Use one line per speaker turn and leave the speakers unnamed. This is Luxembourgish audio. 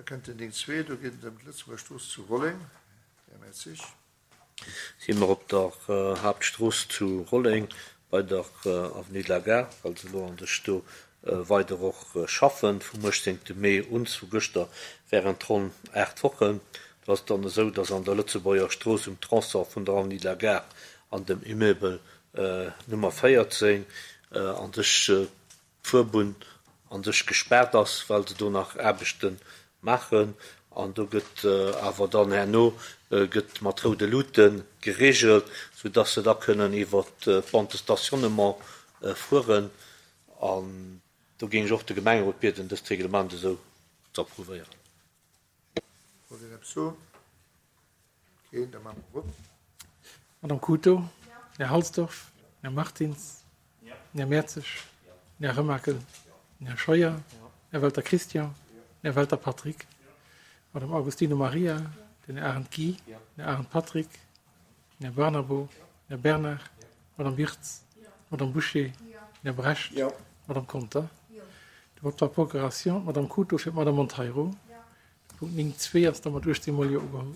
kënnt den 9.2, do geet et ëm d'Lëtzebuerger Strooss zu Rolleng. Här Mertzig.
Si mer op der Haaptstrooss zu Rolleng bei der Avenue de la Gare, well se elo an sech do weider och schaffen, vum 18 Mee un, vu gëschter während ronn 8 Wochen. Do ass et dann esou, dass an der Lëtzebuerger Strooss um Tronçon vun der Avenue de la Gare an dem Immeuble Nummer 14 an sech d'Fuerbunn an sech gespaart ass, well se do nach Aarbechte maachen. An do gëtt awer dann herno gëtt mat roude Luute geregelt, soudass se da kënnen iwwer d'Bande de stationnement fueren. An do géing ech och de Gemengerot bieden, dëst Reglement esou ze approuvéieren.
Wollt een eppes soen? Keen, da maache mer Vott.
Madame Cooto, Här Halsdorf, Här Martins, Här Mertzig, Här Remakel, Här Scheuer, Här Welter Christian, Här Welter Patrick, Madame Augustino Maria, den Här Arendt Guy, Här Arendt Patrick, Här Barnabo, Här Bernard, Madame Wirtz, Madame Bouché, Här Brecht, Madame Conter. De Vote par procuration, d'Madame Cooto fir d'Madame Monteiro. De Punkt 9.2 ass da mat 18 mol Jo ugeholl.